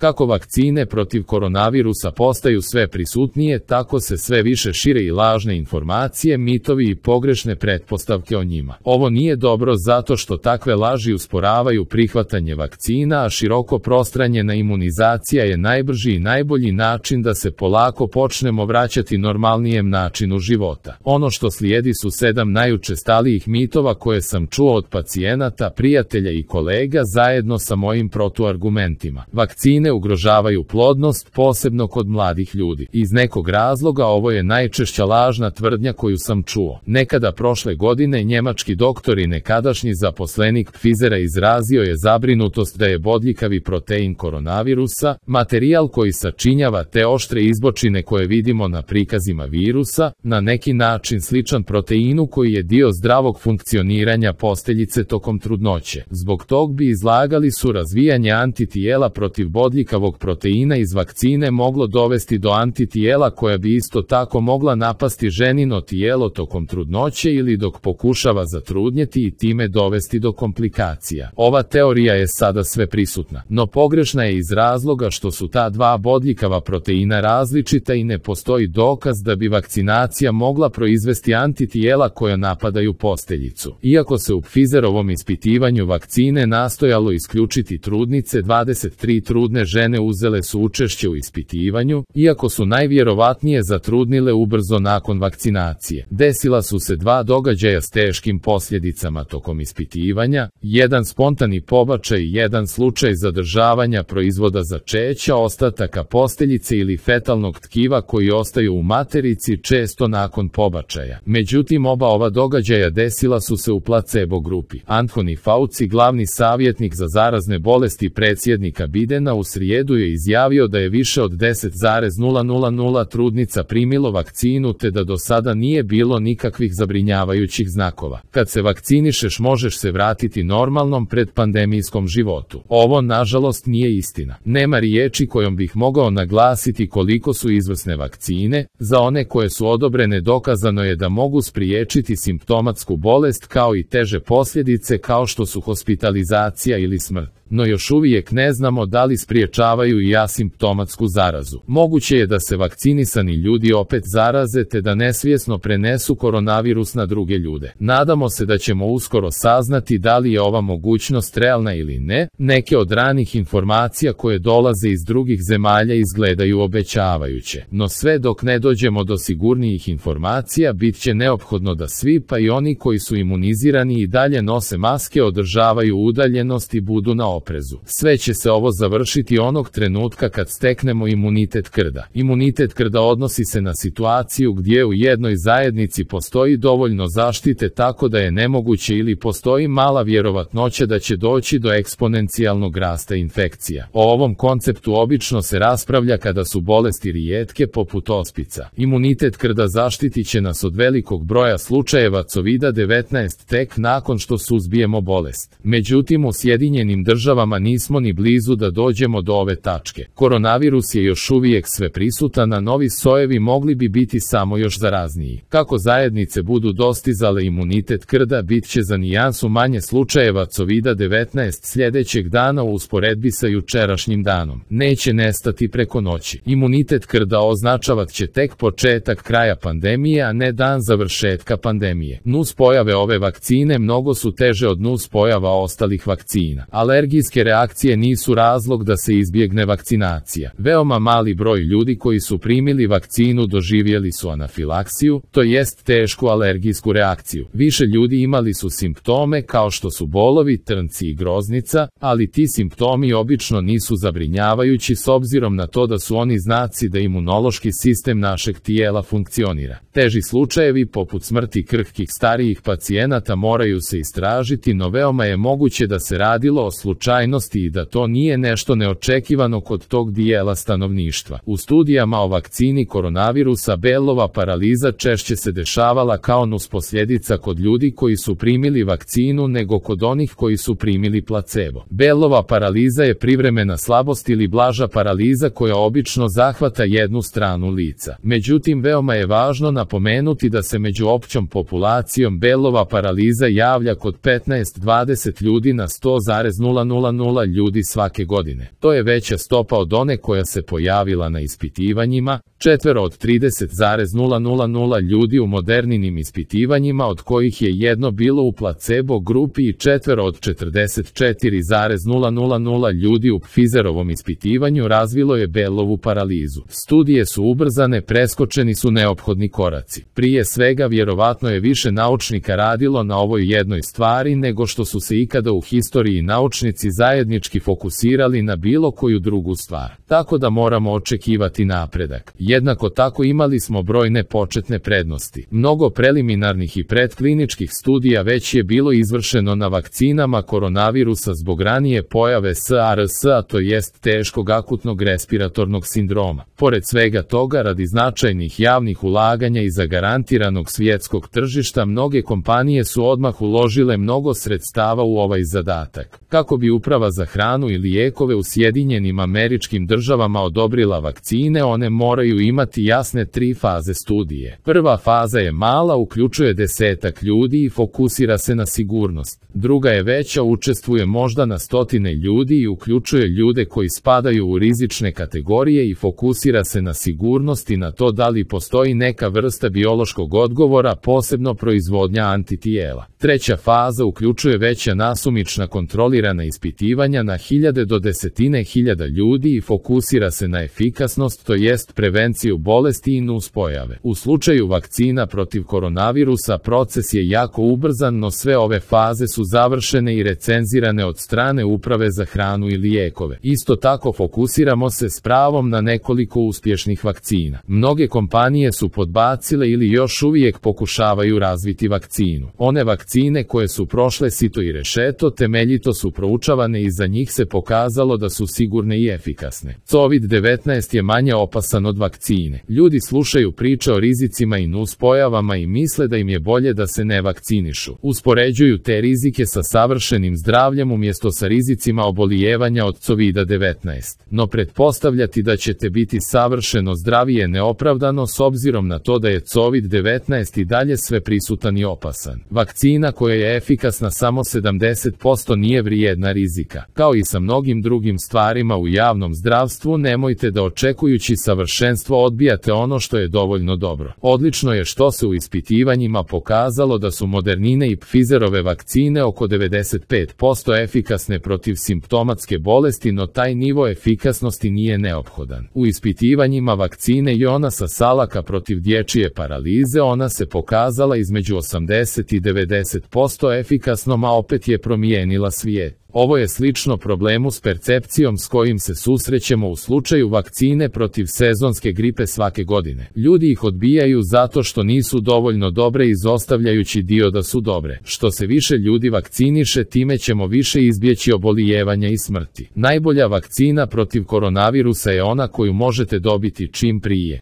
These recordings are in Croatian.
Kako vakcine protiv koronavirusa postaju sve prisutnije, tako se sve više šire i lažne informacije, mitovi i pogrešne pretpostavke o njima. Ovo nije dobro zato što takve laži usporavaju prihvatanje vakcina, a široko prostranjena imunizacija je najbrži i najbolji način da se polako počnemo vraćati normalnijem načinu života. Ono što slijedi su 7 najučestalijih mitova koje sam čuo od pacijenata, prijatelja i kolega zajedno sa mojim protuargumentima. Vakcine ugrožavaju plodnost, posebno kod mladih ljudi. Iz nekog razloga ovo je najčešća lažna tvrdnja koju sam čuo. Nekada prošle godine njemački doktor i nekadašnji zaposlenik Pfizera izrazio je zabrinutost da je bodljikavi protein koronavirusa, materijal koji sačinjava te oštre izbočine koje vidimo na prikazima virusa, na neki način sličan proteinu koji je dio zdravog funkcioniranja posteljice tokom trudnoće. Zbog tog bi izlagali su razvijanje antitijela protiv bodljikavog proteina iz vakcine moglo dovesti do antitijela koja bi isto tako mogla napasti ženino tijelo tokom trudnoće ili dok pokušava zatrudnjeti i time dovesti do komplikacija. Ova teorija je sada sve prisutna, no pogrešna je iz razloga što su ta dva bodljikava proteina različita i ne postoji dokaz da bi vakcinacija mogla proizvesti antitijela koja napadaju posteljicu. Iako se u Pfizerovom ispitivanju vakcine nastojalo isključiti trudnice, 23 trudne žene uzele su učešće u ispitivanju, iako su najvjerovatnije zatrudnile ubrzo nakon vakcinacije. Desila su se 2 događaja s teškim posljedicama tokom ispitivanja, jedan spontani pobačaj i jedan slučaj zadržavanja proizvoda začeća, ostataka posteljice ili fetalnog tkiva koji ostaju u materici često nakon pobačaja. Međutim, oba ova događaja desila su se u placebo grupi. Anthony Fauci, glavni savjetnik za zarazne bolesti predsjednika Bidena, u srijedu je izjavio da je više od 10,000 trudnica primilo vakcinu te da do sada nije bilo nikakvih zabrinjavajućih znakova. Kad se vakcinišeš možeš se vratiti normalnom predpandemijskom životu. Ovo nažalost nije istina. Nema riječi kojom bih mogao naglasiti koliko su izvrsne vakcine. Za one koje su odobrene dokazano je da mogu spriječiti simptomatsku bolest kao i teže posljedice kao što su hospitalizacija ili smrt. No još uvijek ne znamo da li spriječavaju i asimptomatsku zarazu. Moguće je da se vakcinisani ljudi opet zaraze te da nesvjesno prenesu koronavirus na druge ljude. Nadamo se da ćemo uskoro saznati da li je ova mogućnost realna ili ne. Neke od ranih informacija koje dolaze iz drugih zemalja izgledaju obećavajuće. No sve dok ne dođemo do sigurnijih informacija, bit će neophodno da svi, pa i oni koji su imunizirani, i dalje nose maske, održavaju udaljenost i budu na oprezu. Sve će se ovo završiti onog trenutka kad steknemo imunitet krda. Imunitet krda odnosi se na situaciju gdje u jednoj zajednici postoji dovoljno zaštite tako da je nemoguće ili postoji mala vjerovatnoća da će doći do eksponencijalnog rasta infekcija. O ovom konceptu obično se raspravlja kada su bolesti rijetke poput ospica. Imunitet krda zaštitit će nas od velikog broja slučajeva COVID-19 tek nakon što suzbijemo bolest. Međutim, u Sjedinjenim Državama nismo ni blizu da dođemo do ove tačke. Koronavirus je još uvijek sve prisutan, a novi sojevi mogli bi biti samo još zarazniji. Kako zajednice budu dostizale imunitet krda, bit će za nijansu manje slučajeva COVID-19 sljedećeg dana u usporedbi sa jučerašnjim danom. Neće nestati preko noći. Imunitet krda označavat će tek početak kraja pandemije, a ne dan završetka pandemije. Nuspojave ove vakcine mnogo su teže od nuspojava ostalih vakcina. Alergijske reakcije nisu razlog da se izbjegne vakcinacija. Veoma mali broj ljudi koji su primili vakcinu doživjeli su anafilaksiju, to jest tešku alergijsku reakciju. Više ljudi imali su simptome kao što su bolovi, trnci i groznica, ali ti simptomi obično nisu zabrinjavajući s obzirom na to da su oni znaci da imunološki sistem našeg tijela funkcionira. Teži slučajevi poput smrti krhkih starijih pacijenata moraju se istražiti, no veoma je moguće da se radilo o slučajnosti i da to nije nešto neočekivano kod tog dijela stanovništva. U studijama o vakcini koronavirusa Bellova paraliza češće se dešavala kao nusposljedica kod ljudi koji su primili vakcinu nego kod onih koji su primili placebo. Bellova paraliza je privremena slabost ili blaža paraliza koja obično zahvata jednu stranu lica. Međutim, veoma je važno napomenuti da se među općom populacijom Bellova paraliza javlja kod 15-20 ljudi na 100,000 4,000 ljudi svake godine. To je veća stopa od one koja se pojavila na ispitivanjima, 4 od 30,000 ljudi u moderninim ispitivanjima, od kojih je 1 bilo u placebo grupi i 4 od 44,000 ljudi u Pfizerovom ispitivanju razvilo je Bellovu paralizu. Studije su ubrzane, preskočeni su neophodni koraci. Prije svega, vjerovatno je više naučnika radilo na ovoj jednoj stvari nego što su se ikada u historiji naučnici zajednički fokusirali na bilo koju drugu stvar. Tako da moramo očekivati napredak. Jednako tako imali smo brojne početne prednosti. Mnogo preliminarnih i predkliničkih studija već je bilo izvršeno na vakcinama koronavirusa zbog ranije pojave SARS-a, to jest teškog akutnog respiratornog sindroma. Pored svega toga, radi značajnih javnih ulaganja i zagarantiranog svjetskog tržišta, mnoge kompanije su odmah uložile mnogo sredstava u ovaj zadatak. Kako bi Uprava za hranu i lijekove u Sjedinjenim Američkim Državama odobrila vakcine, one moraju imati jasne 3 faze studije. Prva faza je mala, uključuje 10-ak ljudi i fokusira se na sigurnost. Druga je veća, učestvuje možda na stotine ljudi i uključuje ljude koji spadaju u rizične kategorije i fokusira se na sigurnost i na to da li postoji neka vrsta biološkog odgovora, posebno proizvodnja antitijela. Treća faza uključuje veća nasumična kontrolirana ispitivanja na hiljade do desetine hiljada ljudi i fokusira se na efikasnost, to jest prevenciju bolesti i nuspojave. U slučaju vakcina protiv koronavirusa proces je jako ubrzan, no sve ove faze su završene i recenzirane od strane Uprave za hranu i lijekove. Isto tako fokusiramo se s pravom na nekoliko uspješnih vakcina. Mnoge kompanije su podbacile ili još uvijek pokušavaju razviti vakcinu. One vakcine koje su prošle sito i rešeto temeljito su proučavane i za njih se pokazalo da su sigurne i efikasne. COVID-19 je manje opasan od vakcine. Ljudi slušaju priče o rizicima i nuspojavama i misle da im je bolje da se ne vakcinišu. Uspoređuju te rizike sa savršenim zdravljem umjesto sa rizicima obolijevanja od COVID-19. No pretpostavljati da ćete biti savršeno zdravi je neopravdano s obzirom na to da je COVID-19 i dalje sve prisutan i opasan. Vakcina koja je efikasna samo 70% nije vrijedna rizika. Kao i sa mnogim drugim stvarima u javnom zdravstvu, nemojte da očekujući savršenstvo odbijate ono što je dovoljno dobro. Odlično je što se u ispitivanjima pokazalo da su Modernine i Pfizerove vakcine oko 95% efikasne protiv simptomatske bolesti, no taj nivo efikasnosti nije neophodan. U ispitivanjima vakcine Jonasa Salaka protiv dječje paralize ona se pokazala između 80 i 90% efikasnom, a opet je promijenila svijet. Ovo je slično problemu s percepcijom s kojim se susrećemo u slučaju vakcine protiv sezonske gripe svake godine. Ljudi ih odbijaju zato što nisu dovoljno dobre, izostavljajući dio da su dobre. Što se više ljudi vakciniše, time ćemo više izbjeći obolijevanja i smrti. Najbolja vakcina protiv koronavirusa je ona koju možete dobiti čim prije.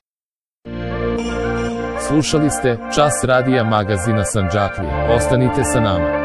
Slušali ste Čas radija magazina Sandžaklija. Ostanite sa nama.